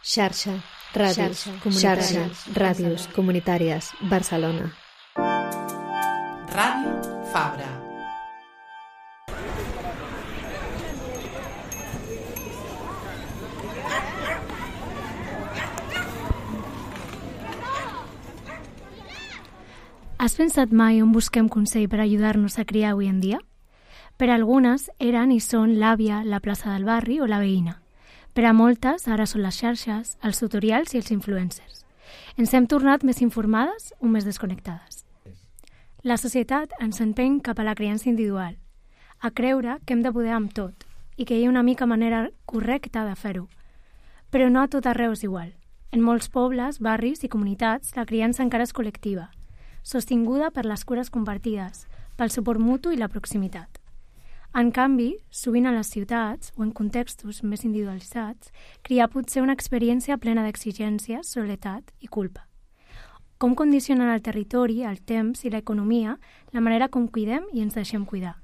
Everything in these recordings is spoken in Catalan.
Xarxa, ràdios comunitàries, Barcelona. Ràdio Fabra. Has pensat mai on busquem consell per ajudar-nos a criar avui en dia? Per a algunes eren i són l'àvia, la plaça del barri o la veïna. Per a moltes ara són les xarxes, els tutorials i els influencers. Ens hem tornat més informades o més desconnectades. La societat ens empeny cap a la criança individual, a creure que hem de poder amb tot i que hi ha una mica manera correcta de fer-ho. Però no a tot arreu és igual. En molts pobles, barris i comunitats la criança encara és col·lectiva, sostinguda per les cures compartides, pel suport mutu i la proximitat. En canvi, sovint a les ciutats o en contextos més individualitzats, criar pot ser una experiència plena d'exigències, soledat i culpa. Com condicionen el territori, el temps i l'economia la manera com cuidem i ens deixem cuidar?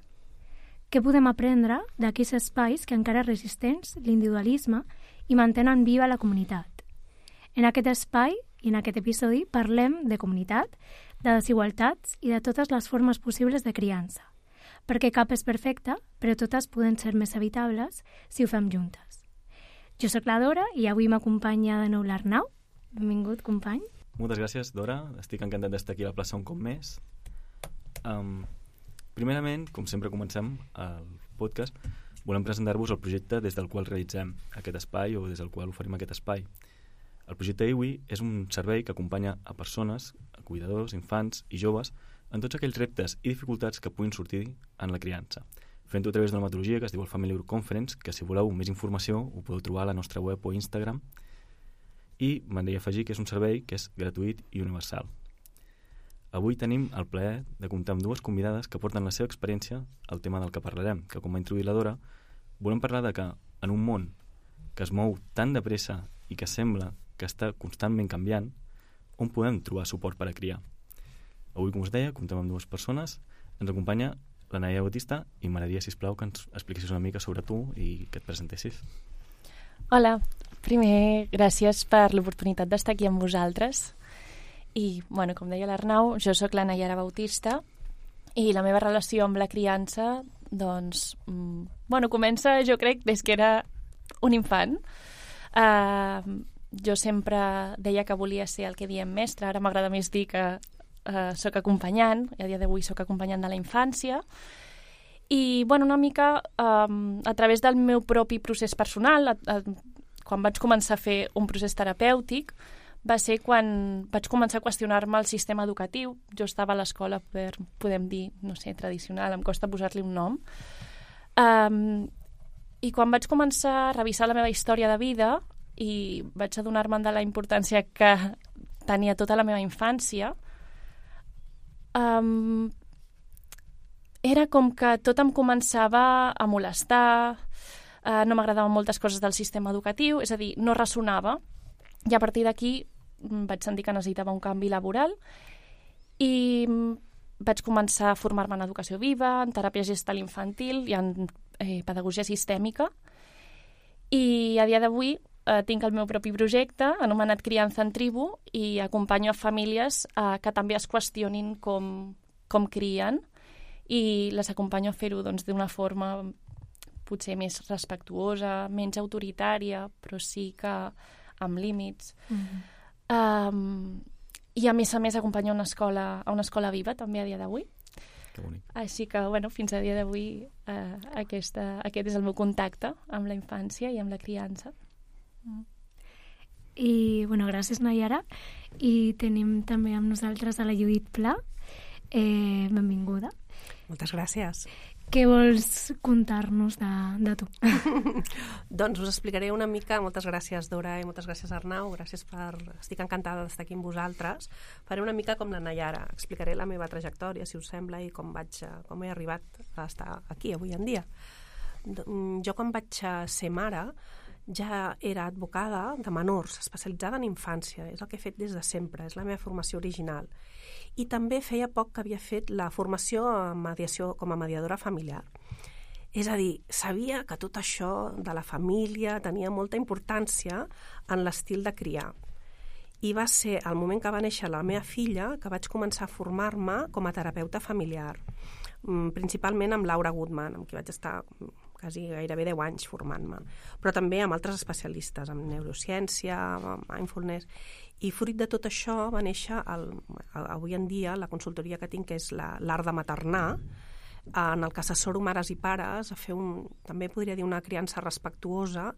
Què podem aprendre d'aquells espais que encara resistents l'individualisme i mantenen viva la comunitat? En aquest espai i en aquest episodi parlem de comunitat, de desigualtats i de totes les formes possibles de criança, perquè cap és perfecte, però totes poden ser més habitables si ho fem juntes. Jo sóc la Dora i avui m'acompanya de nou l'Arnau. Benvingut, company. Moltes gràcies, Dora. Estic encantat d'estar aquí a la plaça un cop més. Primerament, com sempre comencem el podcast, volem presentar-vos el projecte des del qual realitzem aquest espai o des del qual oferim aquest espai. El projecte IWI és un servei que acompanya a persones, a cuidadors, infants i joves en tots aquells reptes i dificultats que puguin sortir en la criança, fent-ho a través d'una metodologia que es diu el Family Conference, que si voleu més informació ho podeu trobar a la nostra web o Instagram, i m'agradaria afegir que és un servei que és gratuït i universal. Avui tenim el plaer de comptar amb dues convidades que porten la seva experiència al tema del que parlarem, que com va introduir la Dora, volem parlar de que en un món que es mou tan de pressa i que sembla que està constantment canviant, on podem trobar suport per a criar. Avui, com us deia, comptem amb dues persones. Ens acompanya la Naia Bautista i m'agradaria, sisplau, que ens expliquessis una mica sobre tu i que et presentessis. Hola, primer, gràcies per l'oportunitat d'estar aquí amb vosaltres. I, bueno, com deia l'Arnau, jo sóc la Naiara Bautista i la meva relació amb la criança, doncs, comença, jo crec, des que era un infant. Jo sempre deia que volia ser el que diem mestre, ara m'agrada més dir que soc acompanyant, i a dia d'avui soc acompanyant de la infància, i una mica a través del meu propi procés personal, quan vaig començar a fer un procés terapèutic, va ser quan vaig començar a qüestionar-me el sistema educatiu. Jo estava a l'escola, podem dir, no sé, tradicional, em costa posar-li un nom, i quan vaig començar a revisar la meva història de vida i vaig adonar-me de la importància que tenia tota la meva infància, era com que tot em començava a molestar, no m'agradaven moltes coses del sistema educatiu, és a dir, no ressonava, i a partir d'aquí vaig sentir que necessitava un canvi laboral i vaig començar a formar-me en educació viva, en teràpia gestal infantil i en pedagogia sistèmica, i a dia d'avui tinc el meu propi projecte anomenat Criança en Tribu i acompanyo a famílies que també es qüestionin com crien i les acompanyo a fer-ho d'una forma potser més respectuosa, menys autoritària, però sí que amb límits. I a més acompanyo a una escola viva també a dia d'avui. Que bonic. Així que, fins a dia d'avui aquest és el meu contacte amb la infància i amb la criança. I, gràcies, Naiara. I tenim també amb nosaltres a la Judit Pla. Benvinguda. Moltes gràcies. Què vols contar-nos de tu? Doncs us explicaré una mica. Moltes gràcies, Dora, i moltes gràcies, Arnau. Estic encantada d'estar aquí amb vosaltres. Faré una mica com la Naiara. Explicaré la meva trajectòria, si us sembla, i com he arribat a estar aquí avui en dia. Jo, quan vaig ser mare, ja era advocada de menors, especialitzada en infància. És el que he fet des de sempre, és la meva formació original. I també feia poc que havia fet la formació en mediació com a mediadora familiar. És a dir, sabia que tot això de la família tenia molta importància en l'estil de criar. I va ser el moment que va néixer la meva filla que vaig començar a formar-me com a terapeuta familiar, principalment amb Laura Goodman, amb qui vaig estar quasi gairebé 10 anys formant-me, però també amb altres especialistes, en neurociència, amb mindfulness. I fruit de tot això va néixer, avui en dia, la consultoria que tinc, que és l'art de maternar, en el que assessoro mares i pares a fer també podria dir una criança respectuosa,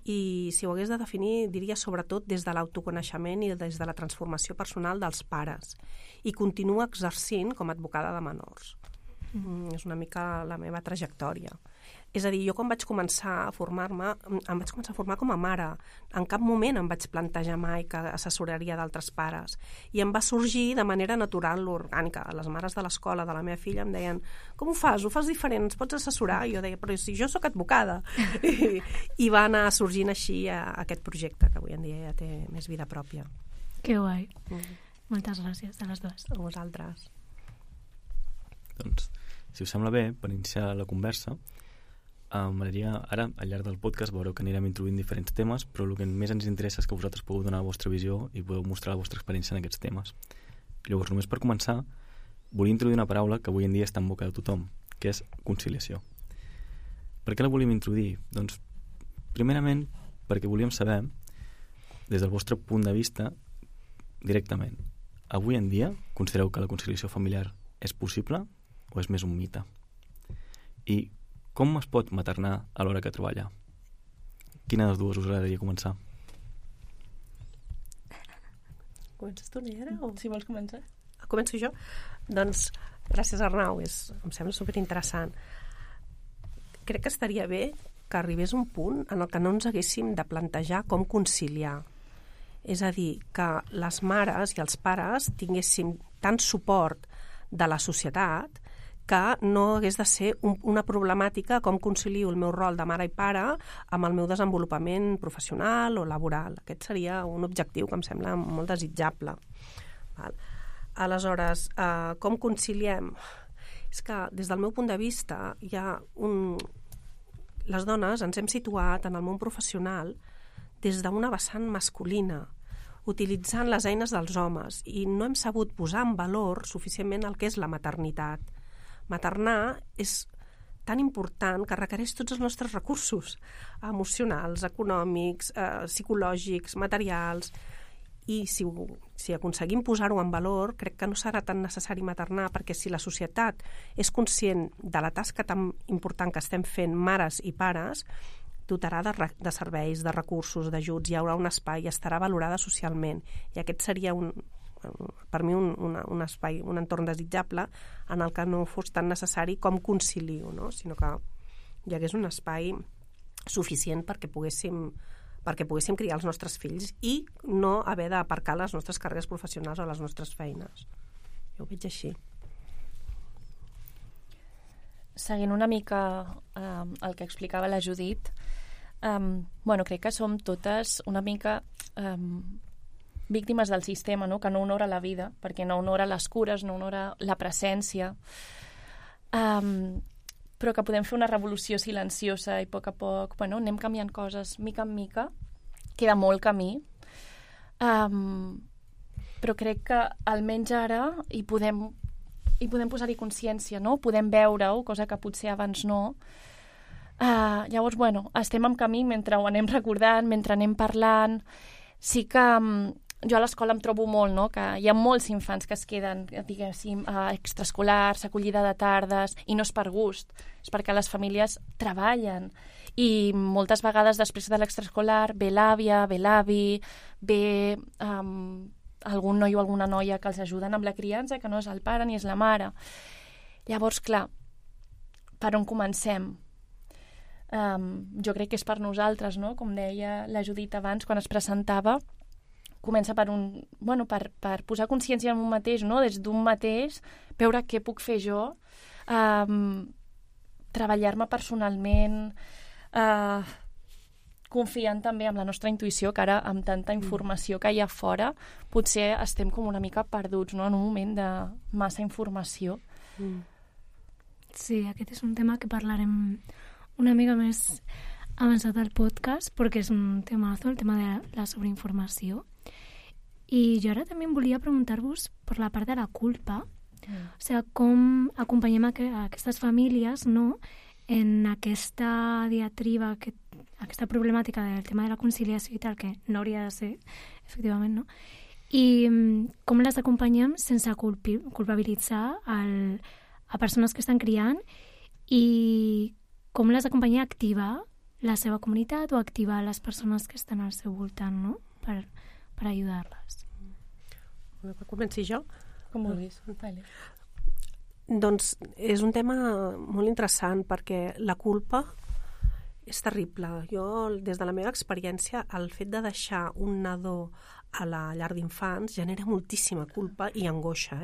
i si ho hagués de definir, diria sobretot des de l'autoconeixement i des de la transformació personal dels pares. I continua exercint com a advocada de menors. És una mica la meva trajectòria. És a dir, jo quan vaig començar a formar-me, em vaig començar a formar com a mare. En cap moment em vaig plantejar mai que assessoraria d'altres pares. I em va sorgir de manera natural, orgànica. Les mares de l'escola de la meva filla em deien: com ho fas? Ho fas diferent? Ens pots assessorar? I jo deia: però si jo sóc advocada. I va anar sorgint així aquest projecte, que avui en dia ja té més vida pròpia. Que guai. Moltes gràcies a les dues. A vosaltres. Doncs, si us sembla bé, per iniciar la conversa, m'agradaria ara, al llarg del podcast, veureu que anirem introduint diferents temes, però el que més ens interessa és que vosaltres podeu donar la vostra visió i podeu mostrar la vostra experiència en aquests temes. Llavors, només per començar, volia introduir una paraula que avui en dia està en boca de tothom, que és conciliació. Per què la volíem introduir? Doncs, primerament, perquè volíem saber, des del vostre punt de vista, directament, avui en dia considereu que la conciliació familiar és possible o és més un mite? I com es pot maternar a l'hora que treballa? Quina de les dues us agradaria començar? Comences tu, Nayara? O... Si vols començar. Començo jo? Doncs, gràcies, Arnau. Em sembla superinteressant. Crec que estaria bé que arribés un punt en el que no ens haguéssim de plantejar com conciliar. És a dir, que les mares i els pares tinguéssim tant suport de la societat que no hagués de ser una problemàtica com concilio el meu rol de mare i pare amb el meu desenvolupament professional o laboral. Aquest seria un objectiu que em sembla molt desitjable. Aleshores, com conciliem? És que des del meu punt de vista hi ha les dones ens hem situat en el món professional des d'una vessant masculina, utilitzant les eines dels homes, i no hem sabut posar en valor suficientment el que és la maternitat. Maternar és tan important que requereix tots els nostres recursos emocionals, econòmics, psicològics, materials, i si aconseguim posar-ho en valor, crec que no serà tan necessari maternar, perquè si la societat és conscient de la tasca tan important que estem fent mares i pares, dotarà de serveis, de recursos, d'ajuts, hi haurà un espai i estarà valorada socialment. I aquest seria per mi un espai, un entorn desitjable en el que no fos tan necessari com concilio, no? Sinó que hi hagués un espai suficient perquè poguéssim criar els nostres fills i no haver d'aparcar les nostres carreres professionals o les nostres feines. Jo ho veig així. Seguint una mica el que explicava la Judit, crec que som totes una mica víctimes del sistema, no? Que no honora la vida, perquè no honora les cures, no honora la presència, però que podem fer una revolució silenciosa i a poc anem canviant coses mica en mica. Queda molt camí, però crec que almenys ara hi podem posar-hi consciència, no? Podem veure-ho, cosa que potser abans no. Llavors, estem en camí mentre ho anem recordant, mentre anem parlant. Sí que jo a l'escola em trobo molt, no? Que hi ha molts infants que es queden, diguéssim, extraescolars, acollida de tardes, i no és per gust, és perquè les famílies treballen. I moltes vegades després de l'extraescolar ve l'àvia, ve l'avi, ve algun noi o alguna noia que els ajuden amb la criança, que no és el pare ni és la mare. Llavors, clar, per on comencem? Jo crec que és per nosaltres, no? Com deia la Judit abans, quan es presentava, comença per posar consciència en un mateix, no? Des d'un mateix, veure què puc fer jo, treballar-me personalment, confiant també en la nostra intuïció, que ara amb tanta informació que hi ha fora potser estem com una mica perduts, no? En un moment de massa informació. Sí, aquest és un tema que parlarem una mica més avançat al podcast, perquè és un temazo, el tema de la sobreinformació. I jo ara també em volia preguntar-vos per la part de la culpa, o sigui, com acompanyem aquestes famílies, no?, en aquesta diatriba, aquesta problemàtica del tema de la conciliació i tal, que no hauria de ser, efectivament, no? I com les acompanyem sense culpabilitzar a persones que estan criant i com les acompanyem a activar la seva comunitat o activar les persones que estan al seu voltant, no?, per ajudar-les. Comenci jo? Com vulguis. Vale. Doncs és un tema molt interessant perquè la culpa és terrible. Jo, des de la meva experiència, el fet de deixar un nadó a la llar d'infants genera moltíssima culpa i angoixa,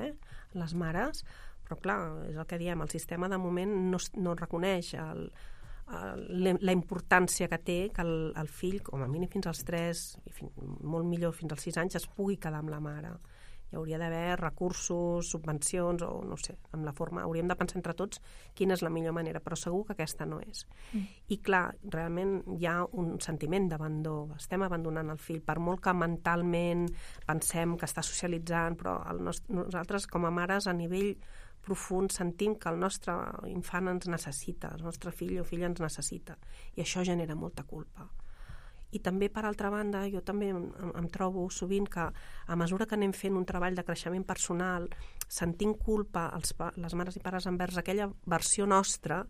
les mares, però clar, és el que diem, el sistema de moment no reconeix la importància que té que el fill, com a mínim fins als 3, i molt millor fins als 6 anys, es pugui quedar amb la mare. Hi hauria d'haver recursos, subvencions, o no sé, amb la forma... Hauríem de pensar entre tots quina és la millor manera, però segur que aquesta no és. I clar, realment hi ha un sentiment d'abandó. Estem abandonant el fill, per molt que mentalment pensem que està socialitzant, però nosaltres, com a mares, a nivell profund, sentim que el nostre infant ens necessita, el nostre fill o filla ens necessita. I això genera molta culpa. I també, per altra banda, jo també em trobo sovint que a mesura que anem fent un treball de creixement personal, sentim culpa les mares i pares envers aquella versió nostra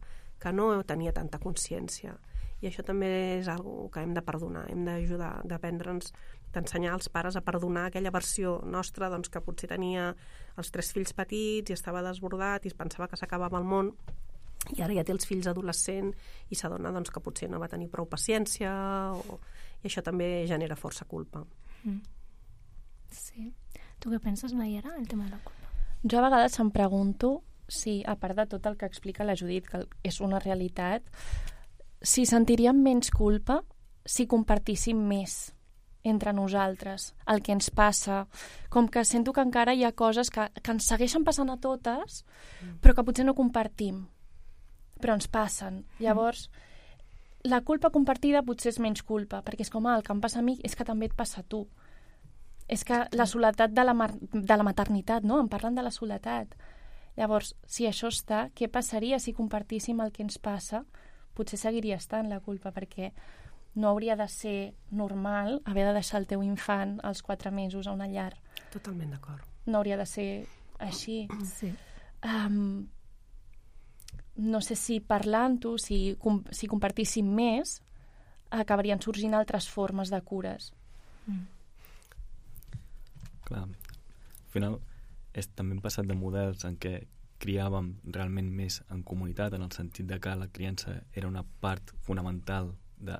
que no tenia tanta consciència. I això també és una que hem de perdonar, hem d'ajudar, d'aprendre'ns, d'ensenyar als pares a perdonar aquella versió nostra, doncs, que potser tenia els 3 fills petits i estava desbordat i es pensava que s'acabava el món, i ara ja té els fills adolescents i s'adona, doncs, que potser no va tenir prou paciència i això també genera força culpa. Sí. Tu què penses, Nayara, el tema de la culpa? Jo a vegades em pregunto si, a part de tot el que explica la Judit, que és una realitat, si sentiríem menys culpa si compartíssim més entre nosaltres el que ens passa, com que sento que encara hi ha coses que ens segueixen passant a totes, però que potser no compartim, però ens passen. Llavors, la culpa compartida potser és menys culpa, perquè és com, el que em passa a mi és que també et passa a tu. És que la soledat de la maternitat, no? Em parlen de la soledat. Llavors, si això està, què passaria si compartíssim el que ens passa? Potser seguiria estant la culpa, perquè no hauria de ser normal haver de deixar el teu infant als 4 mesos a una llar. Totalment d'acord. No hauria de ser així. Sí. No sé si parlant-ho, si compartíssim més, acabarien sorgint altres formes de cures. Clar, al final també hem passat de models en què criàvem realment més en comunitat, en el sentit de que la criança era una part fonamental de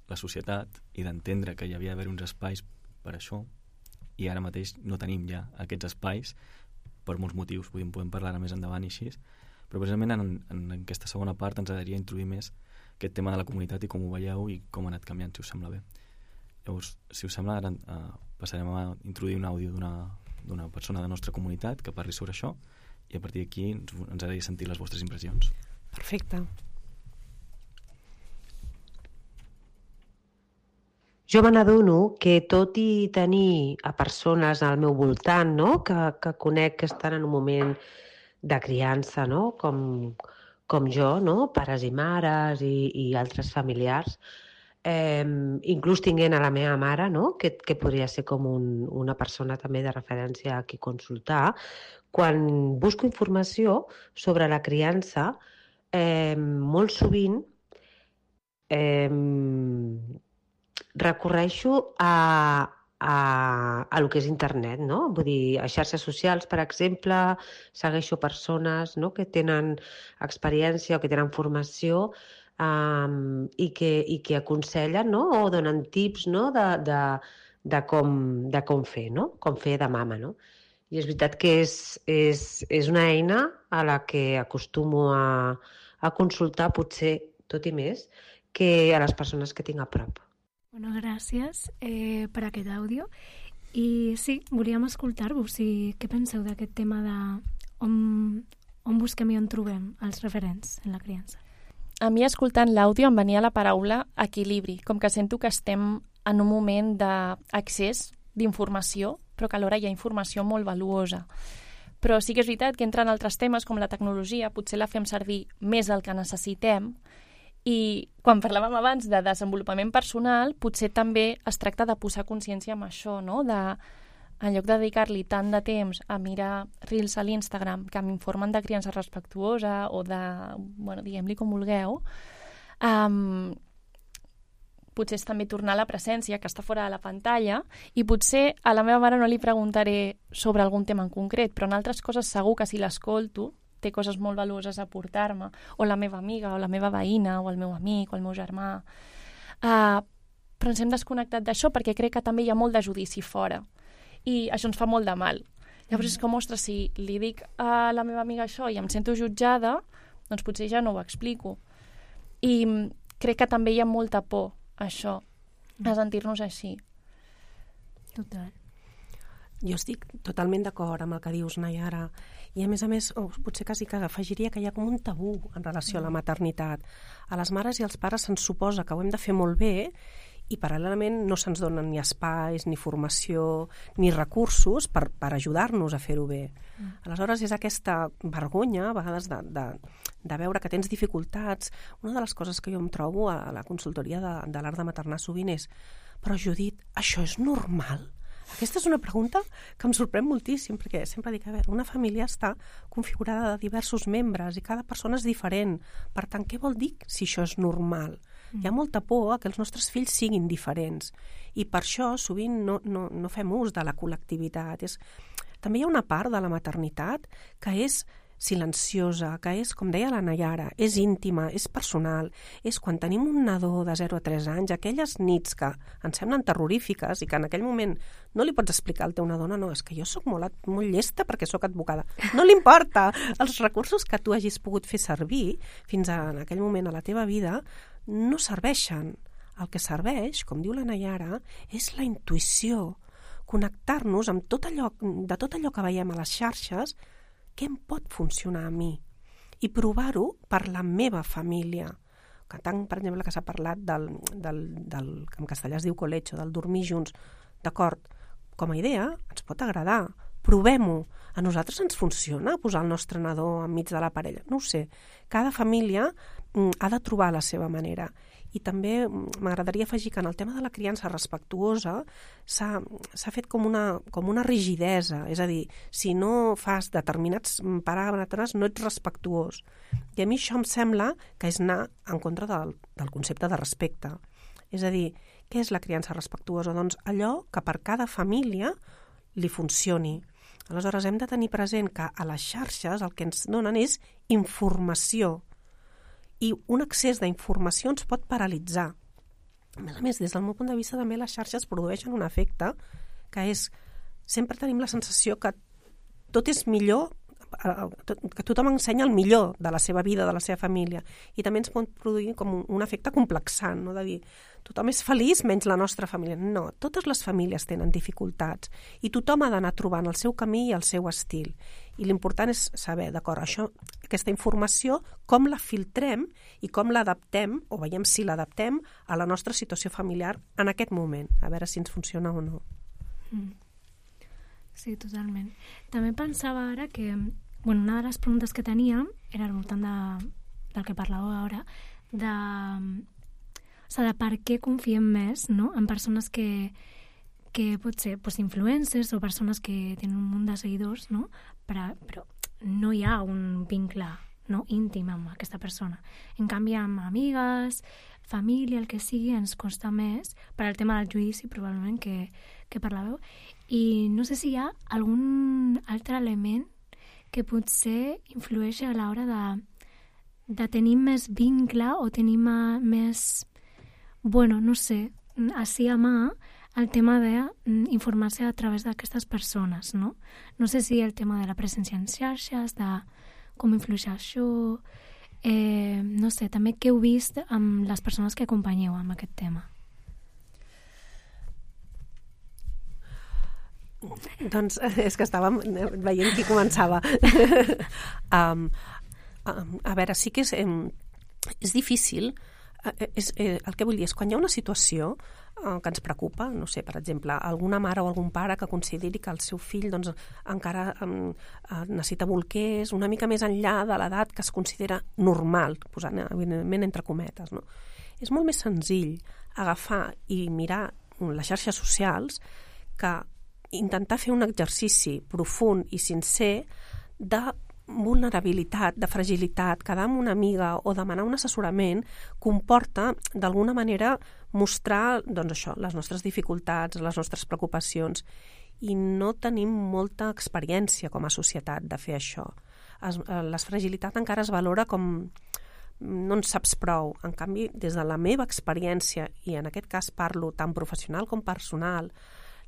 la societat i d'entendre que hi havia d'haver uns espais per això, i ara mateix no tenim ja aquests espais per molts motius, podem parlar més endavant i així, però precisament en aquesta segona part ens agradaria introduir més aquest tema de la comunitat i com ho veieu i com ha anat canviant, si us sembla bé. Llavors, si us sembla, ara passarem a introduir un àudio d'una persona de la nostra comunitat que parli sobre això i a partir d'aquí ens agradaria sentir les vostres impressions. Perfecte. Jo me n'adono que tot i tenir a persones al meu voltant, no?, que conec que estan en un moment de criança, no?, com jo, no?, pares i mares i altres familiars, inclús tinguent a la meva mare, no?, que podria ser com una persona també de referència a qui consultar, quan busco informació sobre la criança, molt sovint recorreixo a lo que és internet, no? Vull dir, a xarxes socials, per exemple, segueixo persones, no?, que tenen experiència o que tenen formació i que aconsellen, no?, o donen tips, no?, de com fer, no?, com fer de mama, no? I és veritat que és una eina a la que acostumo a consultar, potser tot i més, que a les persones que tinc a prop. Bueno, gràcies per aquest àudio. I sí, volíem escoltar-vos. Què penseu d'aquest tema de on busquem i on trobem els referents en la criança? A mi, escoltant l'àudio, em venia la paraula equilibri, com que sento que estem en un moment d'accés d'informació, però que alhora hi ha informació molt valuosa. Però sí que és veritat que entren altres temes, com la tecnologia, potser la fem servir més del que necessitem, i quan parlàvem abans de desenvolupament personal, potser també es tracta de posar consciència amb això, no? En lloc de dedicar-li tant de temps a mirar reels a l'Instagram que m'informen de criança respectuosa o de, bueno, diguem-li com vulgueu, potser és també tornar a la presència, que està fora de la pantalla, i potser a la meva mare no li preguntaré sobre algun tema en concret, però en altres coses segur que si l'escolto té coses molt valuoses a aportar-me, o la meva amiga, o la meva veïna, o el meu amic, o el meu germà. Però ens hem desconnectat d'això perquè crec que també hi ha molt de judici fora, i això ens fa molt de mal. Llavors és com, ostres, si li dic a la meva amiga això i em sento jutjada, doncs potser ja no ho explico. I crec que també hi ha molta por això, a sentir-nos així. Total. Jo estic totalment d'acord amb el que dius, Nayara, i a més, potser quasi que afegiria que hi ha com un tabú en relació a la maternitat. A les mares i als pares se'ns suposa que ho hem de fer molt bé i paral·lelament no se'ns donen ni espais, ni formació, ni recursos per ajudar-nos a fer-ho bé. Aleshores és aquesta vergonya, a vegades, de veure que tens dificultats. Una de les coses que jo em trobo a la consultoria de l'art de maternar sovint és: però Judit, això és normal? Aquesta és una pregunta que em sorprèn moltíssim, perquè sempre dic, a veure, una família està configurada de diversos membres i cada persona és diferent. Per tant, què vol dir si això és normal? Hi ha molta por a que els nostres fills siguin diferents i per això sovint no fem ús de la col·lectivitat. També hi ha una part de la maternitat que és silenciosa, que és, com deia la Nayara, és íntima, és personal, és quan tenim un nadó de 0 a 3 anys, aquelles nits que ens semblen terrorífiques i que en aquell moment no li pots explicar al teu nadó, no, és que jo sóc molt llesta perquè sóc advocada. No li importa! Els recursos que tu hagis pogut fer servir fins en aquell moment a la teva vida no serveixen. El que serveix, com diu la Nayara, és la intuïció, connectar-nos amb tot allò que veiem a les xarxes, què em pot funcionar a mi? I provar-ho per la meva família. Que tant, per exemple, que s'ha parlat del que en castellà es diu colecho, del dormir junts. D'acord, com a idea ens pot agradar, provem-ho. A nosaltres ens funciona posar el nostre nadó enmig de la parella? No ho sé. Cada família ha de trobar la seva manera. I també m'agradaria afegir que en el tema de la criança respectuosa s'ha fet com una rigidesa, és a dir, si no fas determinats paràmetres no ets respectuós. I a mi això em sembla que és anar en contra del concepte de respecte. És a dir, què és la criança respectuosa? Doncs allò que per cada família li funcioni. Aleshores hem de tenir present que a les xarxes el que ens donen és informació, i un excés d'informació ens pot paralitzar. A més, des del meu punt de vista, també les xarxes produeixen un efecte que és, sempre tenim la sensació que tot és millor, que tothom ensenya el millor de la seva vida, de la seva família, i també ens pot produir com un efecte complexant, no? De dir, tothom és feliç menys la nostra família. No, totes les famílies tenen dificultats i tothom ha d'anar trobant el seu camí i el seu estil. I l'important és saber, d'acord, aquesta informació, com la filtrem i com l'adaptem, o veiem si l'adaptem a la nostra situació familiar en aquest moment, a veure si ens funciona o no. Sí, totalment. També pensava ara que, bueno, una de les preguntes que tenia era al voltant del que parlàveu ara, de per què confiem més, no?, en persones que pot ser influencers o persones que tenen un munt de seguidors, no?, però no hi ha un vincle, no, íntim amb aquesta persona. En canvi, amb amigues, família, el que sigui, ens costa més per al tema del judici, probablement, que parlàveu. I no sé si hi ha algun altre element que potser influeix a l'hora de tenir més vincle o tenir més, bueno, no sé, així a mà, el tema d'informar-se a través d'aquestes persones, no? No sé si el tema de la presència en xarxes, de com influeix això, no sé, també què heu vist amb les persones que acompanyeu amb aquest tema. Doncs és que estàvem veient qui començava. A veure, sí que és difícil. El que vull dir és, quan hi ha una situació que ens preocupa, no sé, per exemple, alguna mare o algun pare que consideri que el seu fill doncs, encara necessita bolquers una mica més enllà de l'edat que es considera normal, posant evidentment entre cometes, no? És molt més senzill agafar i mirar les xarxes socials que intentar fer un exercici profund i sincer de vulnerabilitat, de fragilitat, quedar amb una amiga o demanar un assessorament comporta, d'alguna manera, mostrar, doncs això, les nostres dificultats, les nostres preocupacions, i no tenim molta experiència com a societat de fer això. La fragilitat encara es valora com no en saps prou. En canvi, des de la meva experiència, i en aquest cas parlo tant professional com personal,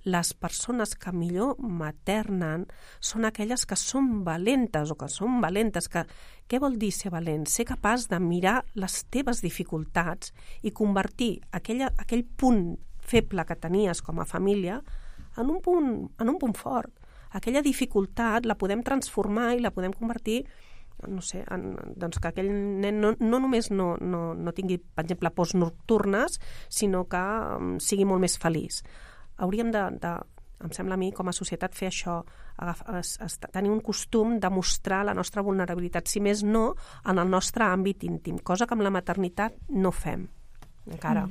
les persones que millor maternen són aquelles que són valentes o que són valentes. Què vol dir ser valent? Ser capaç de mirar les teves dificultats i convertir aquell punt feble que tenies com a família en un punt fort. Aquella dificultat la podem transformar i la podem convertir, no sé, doncs que aquell nen no només no tingui, per exemple, pors nocturnes, sinó que sigui molt més feliç. Hauríem em sembla a mi, com a societat, fer això, tenir un costum de mostrar la nostra vulnerabilitat, si més no, en el nostre àmbit íntim, cosa que amb la maternitat no fem, encara.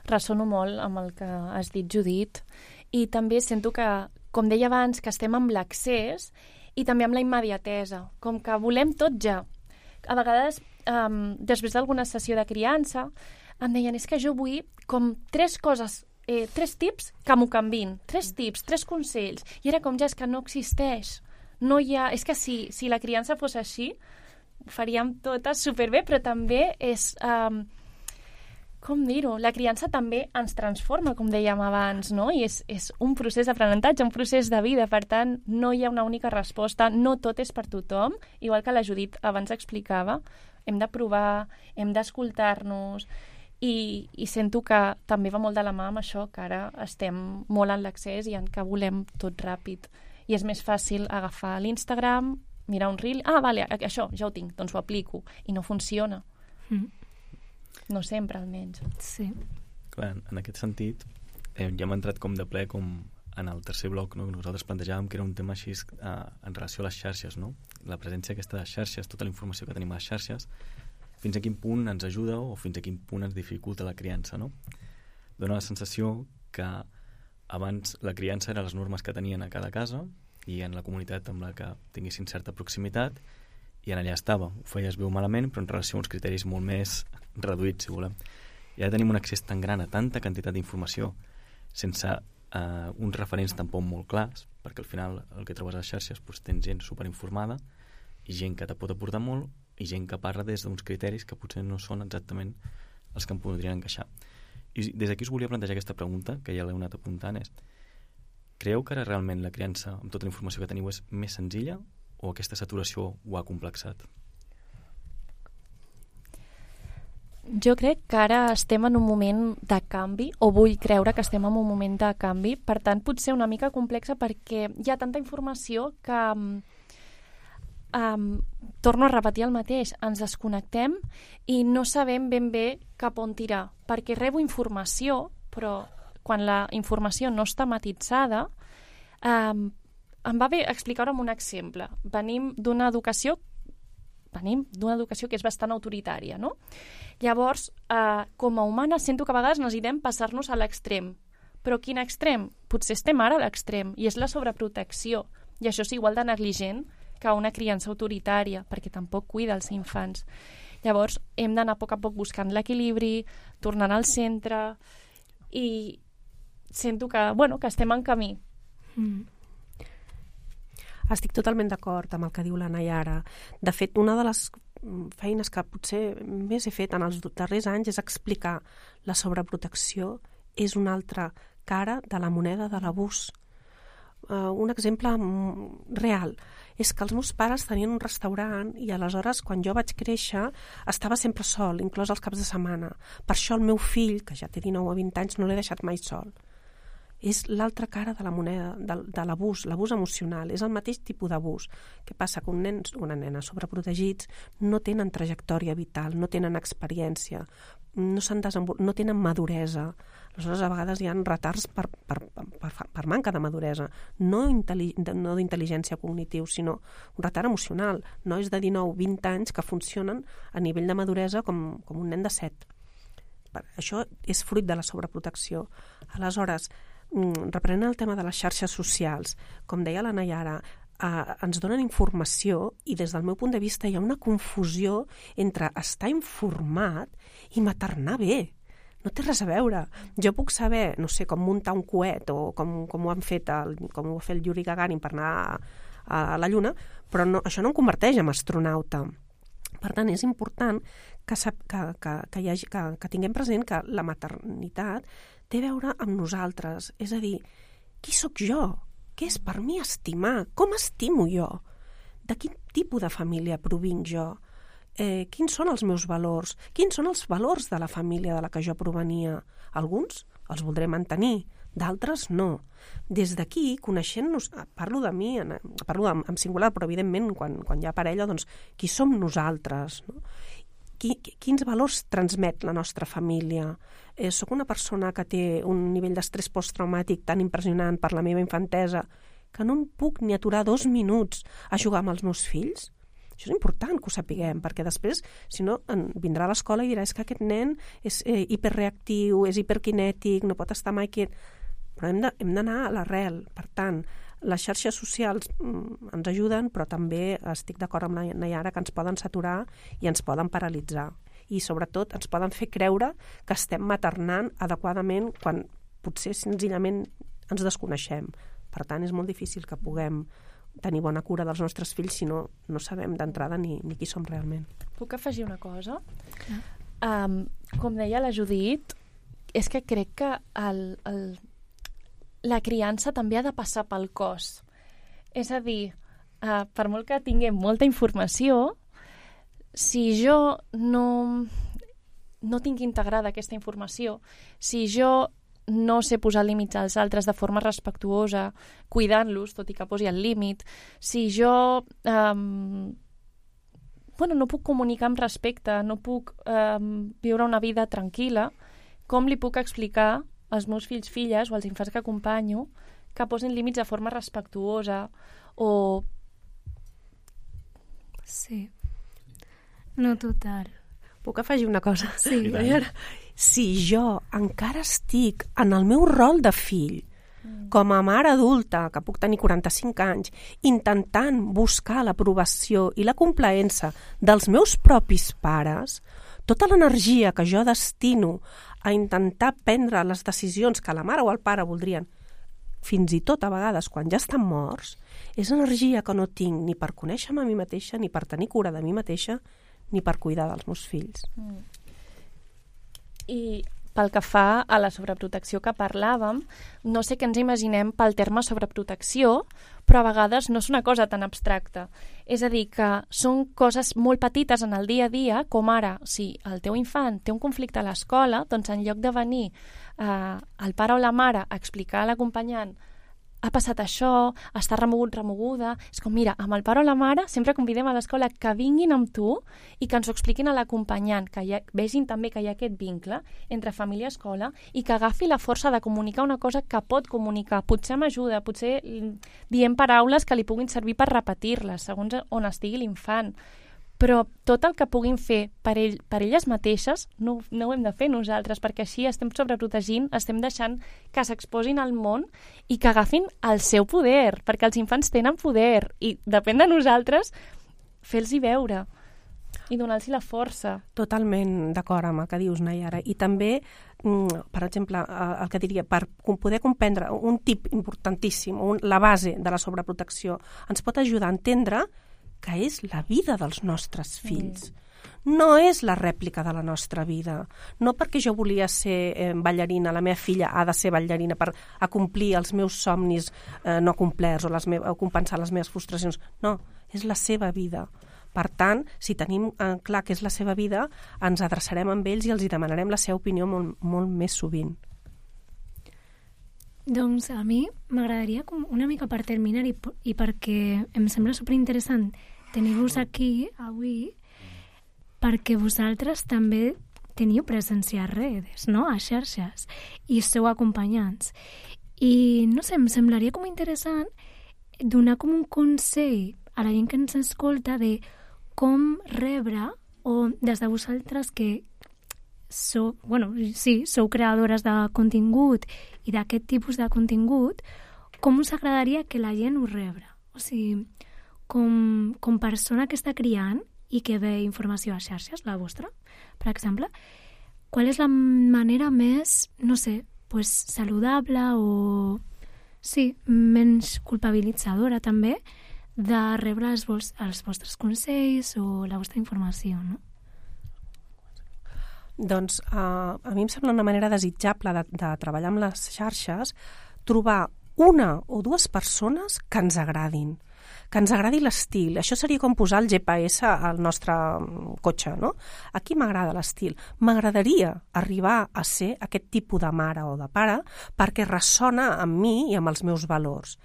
Ressono molt amb el que has dit, Judit, i també sento que, com deia abans, que estem amb l'accés i també amb la immediatesa, com que volem tot ja. A vegades, després d'alguna sessió de criança, em deien, és que jo vull com 3 coses, 3 tips que m'ho canvin, 3 tips, 3 consells, i era com ja és que no existeix, no hi ha, és que si la criança fos així ho faríem totes superbé, però també és com dir-ho, la criança també ens transforma, com dèiem abans, no? I és un procés d'aprenentatge, un procés de vida, per tant no hi ha una única resposta, no tot és per tothom, igual que la Judit abans explicava, hem de provar, hem d'escoltar-nos. I sento que també va molt de la mà amb això, que ara estem molt en l'accés i en que volem tot ràpid. I és més fàcil agafar l'Instagram, mirar un reel, vale, això ja ho tinc, doncs ho aplico. I no funciona. No sempre, almenys. Sí. Clar, en aquest sentit, ja hem entrat com de ple com en el tercer bloc, no? Nosaltres plantejàvem que era un tema així en relació a les xarxes, no? La presència aquesta de xarxes, tota la informació que tenim a les xarxes, fins a quin punt ens ajuda o fins a quin punt ens dificulta la criança, no? Dóna la sensació que abans la criança eren les normes que tenien a cada casa i en la comunitat amb la que tinguessin certa proximitat i en allà estava. Ho feies bé o malament, però en relació a uns criteris molt més reduïts, si volem. I ara tenim un accés tan gran a tanta quantitat d'informació sense uns referents tampoc molt clars, perquè al final el que trobes a les xarxes doncs, tens gent superinformada i gent que te pot aportar molt i gent que parla des d'uns criteris que potser no són exactament els que em podrien encaixar. I des d'aquí us volia plantejar aquesta pregunta, que ja l'he anat apuntant, és: creieu que ara realment la criança, amb tota la informació que teniu, és més senzilla o aquesta saturació ho ha complexat? Jo crec que ara estem en un moment de canvi, o vull creure que estem en un moment de canvi, per tant pot ser una mica complexa perquè hi ha tanta informació que torno a repetir el mateix, ens desconnectem i no sabem ben bé cap on tirar, perquè rebo informació, però quan la informació no està matitzada, em va bé explicar-ho amb un exemple. Venim d'una educació que és bastant autoritària, no? Llavors, com a humanes, sento que a vegades necessitem passar-nos a l'extrem. Però quin extrem? Potser estem ara a l'extrem, i és la sobreprotecció. I això és igual de negligent que una criança autoritària, perquè tampoc cuida els infants. Llavors, hem d'anar a poc buscant l'equilibri, tornant al centre, i sento que estem en camí. Estic totalment d'acord amb el que diu la Nayara. De fet, una de les feines que potser més he fet en els darrers anys és explicar la sobreprotecció és una altra cara de la moneda de l'abús. Un exemple real és que els meus pares tenien un restaurant i aleshores quan jo vaig créixer estava sempre sol, inclòs els caps de setmana. Per això el meu fill, que ja té 19 o 20 anys, no l'he deixat mai sol. és l'altra cara de la moneda de l'abús emocional, és el mateix tipus d'abús. Què passa? Que un nen o una nena sobreprotegits no tenen trajectòria vital, no tenen experiència, no tenen maduresa. Aleshores, a vegades hi ha retards per manca de maduresa, no d'intel·ligència cognitiva, sinó un retard emocional. Nois de 19-20 anys que funcionen a nivell de maduresa com un nen de 7. Això és fruit de la sobreprotecció. Aleshores, reprenent el tema de les xarxes socials, com deia la Nayara, ens donen informació i des del meu punt de vista hi ha una confusió entre estar informat i maternar bé. No té res a veure. Jo puc saber, no sé, com muntar un coet o com ho ha fet el Yuri Gagarin per anar a la Lluna, però això no em converteix en astronauta. Per tant, és important que tinguem present que la maternitat té a veure amb nosaltres. És a dir, qui sóc jo? Què és per mi estimar? Com estimo jo? De quin tipus de família provinc jo? Quins són els meus valors? Quins són els valors de la família de la que jo provenia? Alguns els voldré mantenir, d'altres no. Des d'aquí, coneixent-nos, parlo de mi, parlo en singular, però evidentment quan hi ha parella, doncs qui som nosaltres? No? Quins valors transmet la nostra família? Soc una persona que té un nivell d'estrès posttraumàtic tan impressionant per la meva infantesa que no em puc ni aturar 2 minuts a jugar amb els meus fills? Això és important que ho sapiguem, perquè després, si no, vindrà a l'escola i dirà que aquest nen és hiperreactiu, és hiperkinètic, no pot estar mai quiet. Però hem d'anar a l'arrel. Per tant, les xarxes socials ens ajuden, però també estic d'acord amb la Nayara que ens poden saturar i ens poden paralitzar. I sobretot ens poden fer creure que estem maternant adequadament quan potser senzillament ens desconeixem. Per tant, és molt difícil que puguem tenir bona cura dels nostres fills si no sabem d'entrada ni qui som realment. Puc afegir una cosa? Com deia la Judit, és que crec que la criança també ha de passar pel cos. És a dir, per molt que tinguem molta informació, si jo no tinc integrada aquesta informació, si jo no sé posar límits als altres de forma respectuosa, cuidant-los, tot i que posi el límit, si jo no puc comunicar amb respecte, no puc viure una vida tranquil·la, com li puc explicar als meus fills, filles o als infants que acompanyo que posin límits de forma respectuosa o... Sí. No, total. Puc afegir una cosa? Sí. Si jo encara estic en el meu rol de fill, com a mare adulta, que puc tenir 45 anys, intentant buscar l'aprovació i la complaença dels meus propis pares, tota l'energia que jo destino a intentar prendre les decisions que la mare o el pare voldrien, fins i tot a vegades quan ja estan morts, és energia que no tinc ni per conèixer-me a mi mateixa, ni per tenir cura de mi mateixa, ni per cuidar dels meus fills. I pel que fa a la sobreprotecció que parlàvem, no sé què ens imaginem pel terme sobreprotecció, però a vegades no és una cosa tan abstracta. És a dir, que són coses molt petites en el dia a dia, com ara, si el teu infant té un conflicte a l'escola, doncs en lloc de venir el pare o la mare a explicar a l'acompanyant ha passat això, està remogut, remoguda... És com, mira, amb el pare o la mare sempre convidem a l'escola que vinguin amb tu i que ens ho expliquin a l'acompanyant, que vegin també que hi ha aquest vincle entre família i escola i que agafi la força de comunicar una cosa que pot comunicar. Potser m'ajuda, potser diem paraules que li puguin servir per repetir-les, segons on estigui l'infant. Però tot el que puguin fer per elles mateixes no ho hem de fer nosaltres, perquè així estem sobreprotegint, estem deixant que s'exposin al món i que agafin el seu poder, perquè els infants tenen poder i depèn de nosaltres fer-los-hi veure i donar-los la força. Totalment d'acord amb el que dius, Nayara. I també, per exemple, el que diria, per poder comprendre un tip importantíssim, la base de la sobreprotecció, ens pot ajudar a entendre que és la vida dels nostres fills. No és la rèplica de la nostra vida. No perquè jo volia ser ballarina, la meva filla ha de ser ballarina per acomplir els meus somnis no complerts o compensar les meves frustracions. No, és la seva vida. Per tant, si tenim clar que és la seva vida, ens adreçarem amb ells i els hi demanarem la seva opinió molt més sovint. Doncs a mi m'agradaria una mica per terminar i perquè em sembla superinteressant tenir-vos aquí avui, perquè vosaltres també teniu presència a redes, no? A xarxes, i sou acompanyants. I no sé, em semblaria com interessant donar com un consell a la gent que ens escolta de com rebre, o des de vosaltres que sou creadores de contingut i d'aquest tipus de contingut, com us agradaria que la gent ho rebre? O sigui, com persona que està criant i que ve informació a xarxes, la vostra, per exemple, qual és la manera més, no sé, pues, saludable o, sí, menys culpabilitzadora també, de rebre els vostres consells o la vostra informació, no? Doncs a mi em sembla una manera desitjable de treballar amb les xarxes, trobar una o dues persones que ens agradin, que ens agradi l'estil. Això seria com posar el GPS al nostre cotxe, no? Aquí m'agrada l'estil. M'agradaria arribar a ser aquest tipus de mare o de pare perquè ressona amb mi i amb els meus valors.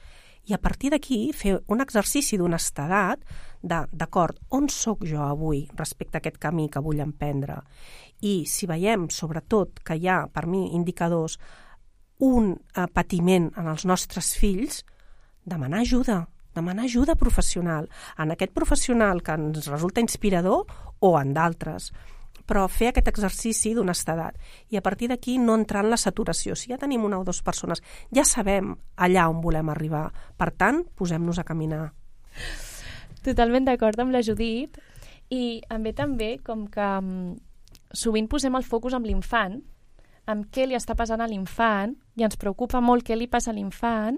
I a partir d'aquí fer un exercici d'honestedat d'acord, on sóc jo avui respecte a aquest camí que vull emprendre? I si veiem, sobretot, que hi ha, per mi, indicadors, un patiment en els nostres fills, demanar ajuda professional, en aquest professional que ens resulta inspirador o en d'altres, però fer aquest exercici d'honestedat. I a partir d'aquí no entrar en la saturació. Si ja tenim una o dues persones, ja sabem allà on volem arribar. Per tant, posem-nos a caminar. Totalment d'acord amb la Judit. I em ve també com que sovint posem el focus amb l'infant, amb què li està passant a l'infant, i ens preocupa molt què li passa a l'infant,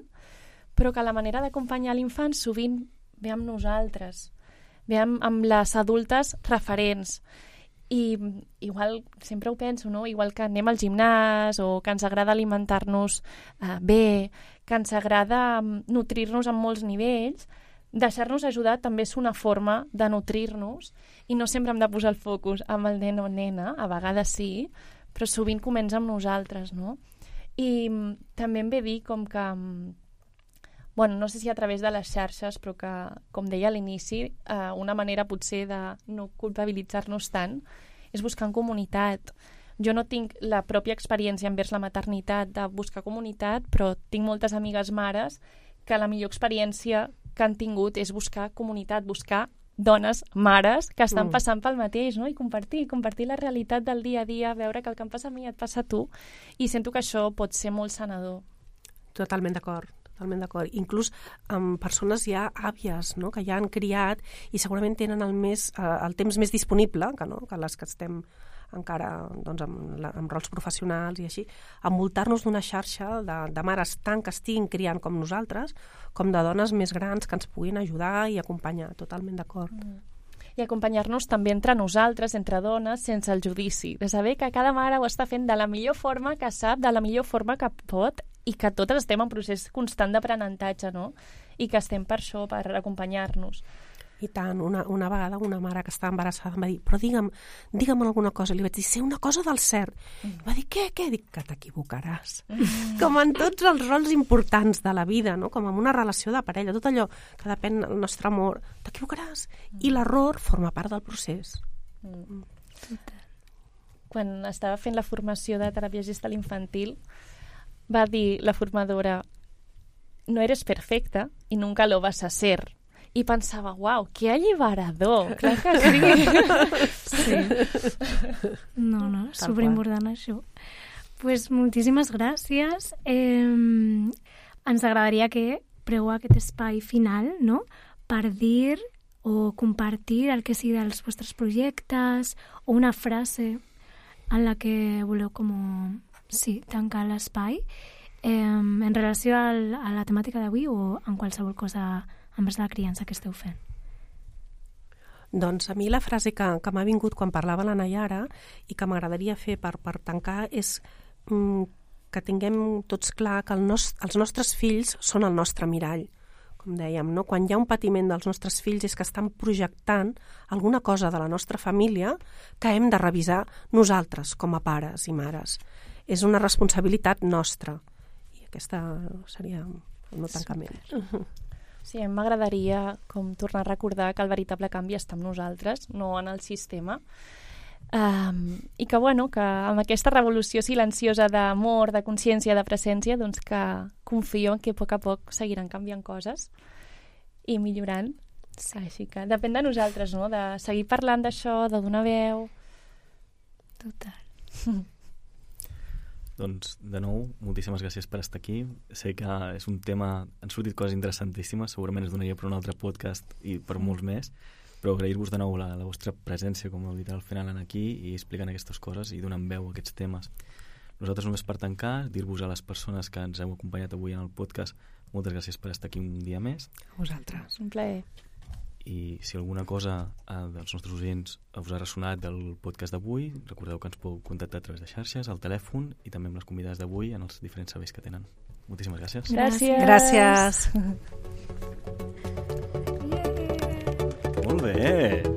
però que la manera d'acompanyar l'infant sovint ve amb nosaltres, ve amb les adultes referents. I igual, sempre ho penso, no? Igual que anem al gimnàs o que ens agrada alimentar-nos bé, que ens agrada nutrir-nos en molts nivells, deixar-nos ajudar també és una forma de nutrir-nos i no sempre hem de posar el focus amb el nen o nena, a vegades sí, però sovint comença amb nosaltres, no? I també em ve dir com que, no sé si a través de les xarxes, però que, com deia a l'inici, una manera potser de no culpabilitzar-nos tant és buscar en comunitat. Jo no tinc la pròpia experiència envers la maternitat de buscar comunitat, però tinc moltes amigues mares que la millor experiència que han tingut és buscar comunitat, buscar dones, mares, que estan passant pel mateix, no? I compartir la realitat del dia a dia, veure que el que em passa a mi et passa a tu, i sento que això pot ser molt sanador. Totalment d'acord. Inclús amb persones ja àvies, no? Que ja han criat i segurament tenen el temps més disponible que les que estem encara amb rols professionals i així, envoltar-nos d'una xarxa de mares tant que estiguin criant com nosaltres, com de dones més grans que ens puguin ajudar i acompanyar. Totalment d'acord. I acompanyar-nos també entre nosaltres, entre dones, sense el judici, de saber que cada mare ho està fent de la millor forma que sap, de la millor forma que pot, i que totes estem en procés constant d'aprenentatge, no? I que estem per això, per acompanyar-nos. I tant, una vegada una mare que estava embarassada em va dir, però digue'm alguna cosa. Li vaig dir, sé una cosa del cert. Va dir, què? Dic, que t'equivocaràs. Com en tots els rols importants de la vida, no? Com en una relació de parella, tot allò que depèn del nostre amor, t'equivocaràs. I l'error forma part del procés. Quan estava fent la formació de teràpia gestal infantil, va dir la formadora, no eres perfecta y nunca lo vas a ser. I pensava, uau, que alliberador, clar que sí. Sí. No, superimportant això. Pues moltíssimes gràcies. Ens agradaria que preu aquest espai final, no?, per dir o compartir el que sigui dels vostres projectes o una frase en la que voleu tancar l'espai en relació a la temàtica d'avui o en qualsevol cosa envers la criança que esteu fent. Doncs a mi la frase que m'ha vingut quan parlava la Nayara i que m'agradaria fer per tancar és que tinguem tots clar que els nostres fills són el nostre mirall. Com dèiem, no? Quan hi ha un patiment dels nostres fills és que estan projectant alguna cosa de la nostra família que hem de revisar nosaltres com a pares i mares. És una responsabilitat nostra. aquesta seria el meu tancament. Sí, m'agradaria com tornar a recordar que el veritable canvi està amb nosaltres, no en el sistema. I que, que amb aquesta revolució silenciosa d'amor, de consciència, de presència, doncs que confio en que a poc seguiran canviant coses i millorant. Sí. Així que depèn de nosaltres, no?, de seguir parlant d'això, de donar veu. Total. Doncs, de nou, moltíssimes gràcies per estar aquí. Sé que és un tema... Han sortit coses interessantíssimes, segurament es donaria per un altre podcast i per molts més, però agrair-vos de nou la vostra presència, com heu dit al final, aquí i explicant aquestes coses i donant veu a aquests temes. Nosaltres, només per tancar, dir-vos a les persones que ens heu acompanyat avui en el podcast, moltes gràcies per estar aquí un dia més. A vosaltres. Un plaer. I si alguna cosa dels nostres oients us ha ressonat del podcast d'avui, recordeu que ens podeu contactar a través de xarxes, al telèfon i també amb les convidades d'avui en els diferents serveis que tenen. Moltíssimes gràcies. Gràcies. Molt bé!